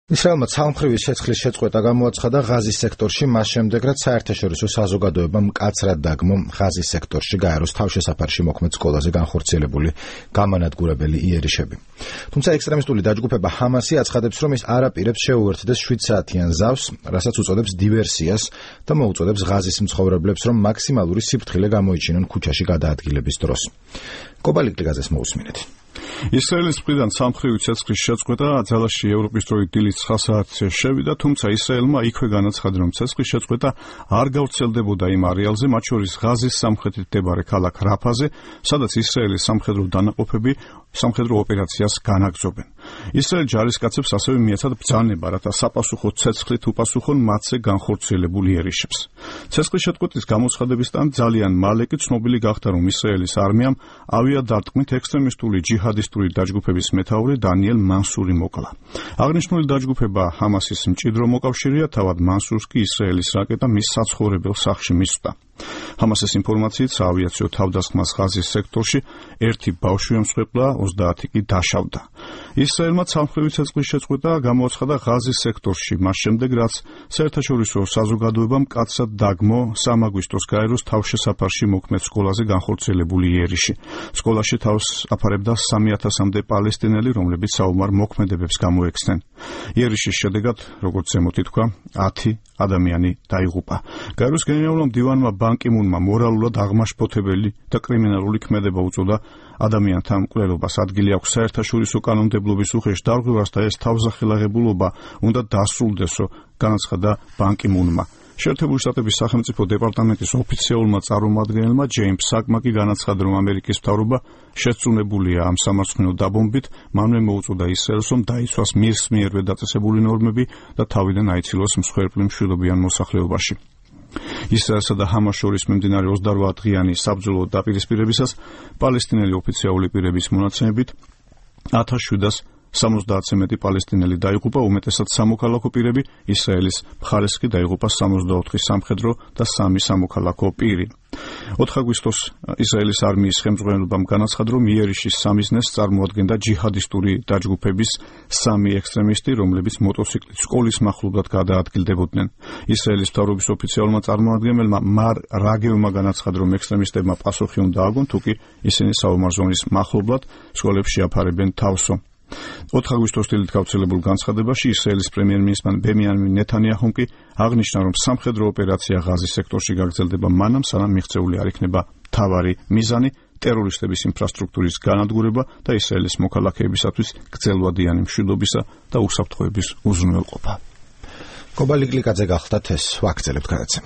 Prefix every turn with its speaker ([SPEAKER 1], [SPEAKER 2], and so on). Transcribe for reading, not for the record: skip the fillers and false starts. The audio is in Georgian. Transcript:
[SPEAKER 1] ისრაელმა ცალმხრივი შეწყლის შეწყვეტა გამოაცხადა ღაზის სექტორში, მას შემდეგ, რაც საერთაშორისო საზოგადოებამ მკაცრად დაგმო ღაზის სექტორში გაეროს თავშესაფარში მოქმედ სკოლაზე განხორციელებული გამანადგურებელი იერიშები. თუმცა ექსტრემისტული დაჯგუფება ჰამასი აცხადებს, რომ ის არ აპირებს შეუერთდეს 7 საათიან ზავს, რასაც უწოდებს დივერსიას და მოუწოდებს ღაზის მცხოვრებლებს, რომ მაქსიმალური სიფრთხილე გამოიჩინონ ქუჩაში გადაადგილების დროს. კობალიკლიგაზეს მოусმინეთ.
[SPEAKER 2] ისრაელის მხრიდან ცალმხრივი ცეცხლის შეწყვეტა ძალაში ევროპის დროით დილით 9 საათზე შევიდა, თუმცა ისრაელმა იქვე განაცხადა, რომ ცეცხლის შეწყვეტა არ გავრცელდებოდა იმ არეალზე, მათ შორის ღაზის სამხრეთით მდებარე ქალაქ რაფაზე, სადაც ისრაელის სამხედრო დანაყოფები სამხედრო ოპერაციას განაგრძობენ. ისრაელ ჯარისკაცებს ასევე მიეცათ ბრძანება, რათა საპასუხო ცეცხლით უპასუხონ მათზე განხორციელებულ იერიშებს. ცეცხლის შეწყვეტის გამოცხადებისთან ძალიან მალე კი ცნობილი გახდა, რომ ისრაელის არმიამ ავიადარტყმით ექსტრემისტული ჯიჰადისტური დაჯგუფების მეთაური დანიელ მანსური მოკლა. აღნიშნული დაჯგუფება ჰამასის მჭიდრო მოკავშირეა, თავად მანსურს კი ისრაელის რაკეტა მის საცხოვრებელ სახლში მისვდა. ჰამასის ინფორმაციით, საავიაციო თავდასხმას ღაზის სექტორში 1 ბავშვი ემსხვერპლა, 30 კი დაშავდა. ისრაელმა ცალმხრივი ცეცხლის შეწყვეტა გამოაცხადა ღაზის სექტორში, მას შემდეგ, რაც საერთაშორისო საზოგადოებამ მკაცრად დაგმო 3 აგვისტოს გაეროს თავშესაფარში მოქმედ სკოლაზე განხორციელებული იერიში. სკოლაში თავს აფარებდა 3000-მდე პალესტინელი, რომლებიც საომარ მოქმედებებს გამოექცნენ. იერიშის შედეგად, როგორც ზემოთ ითქვა, 10 ადამიანი დაიღუპა. გაეროს გენერალურმა მდივანმა ბან კი მუნმა მორალურად აღმაშფოთებელი და კრიმინალური ქმედება უწოდა ადამიანთა მკვლელობას. ადგილი აქვს საერთაშორისო კანონმდებლობის უხეშ დარღვევას და ეს თავზახელაღებულობა უნდა დასრულდესო, განაცხადა ბან კი მუნმა. შეერთებული შტატების სახელმწიფო დეპარტამენტის ოფიციალურმა წარმომადგენელმა ჯეიმს საკმა კი განაცხადა, რომ ამერიკის მთავრობა შეწუნებულია ამ სამარცხვინო დაბომბვით, მანვე მოუწოდა ისრაელს, რომ დაიცვას მის მიერვე დაწესებული ნორმები და თავიდან აიცილოს მსხვერპლი მშვიდობიან მოსახლეობაში. ისრაელსა და ჰამას შორის მიმდინარე 28 დღიანი საბრძოლო დაპირისპირებისას პალესტინელი ოფიციალური პირების მონაცემებით 1770-ზე მეტი პალესტინელი დაიღუპა, უმეტესად სამოქალაქო პირები, ისრაელის მხარეს კი დაიღუპა 64 სამხედრო და 3 სამოქალაქო პირი. 4 აგვისტოს ისრაელის არმიის ხელმძღვანელობამ განაცხადა, რომ იერიშის სამიზნეს წარმოადგენდა ჯიჰადისტური დაჯგუფების 3 ექსტრემისტი, რომლებიც მოტოციკლით სკოლის მახლობლად გადაადგილდებოდნენ. ისრაელის მთავრობის ოფიციალურმა წარმომადგენელმა მარ რაგევმა განაცხადა, რომ ექსტრემისტებმა პასუხი უნდა აგონ, თუკი ისინი საომარ ზონის მახლობლად სკოლებში აფარებენ თავსო. 4 აგვისტოს დილით გავრცელებულ განცხადებაში ისრაელის პრემიერ-მინისტრმა ბენიამინ ნეთანიაჰუმ კი აღნიშნა, რომ სამხედრო ოპერაცია ღაზის სექტორში გაგრძელდება მანამ, სანამ მიღწეული არ იქნება მთავარი მიზანი ტერორისტების ინფრასტრუქტურის განადგურება და ისრაელის მოქალაქეებისათვის გრძელვადიანი მშვიდობისა და უსაფრთხოების უზრუნველყოფა.
[SPEAKER 1] კობალიკლიკაძე გახლდათ ეს ვაგრძელებთ გადაცემას.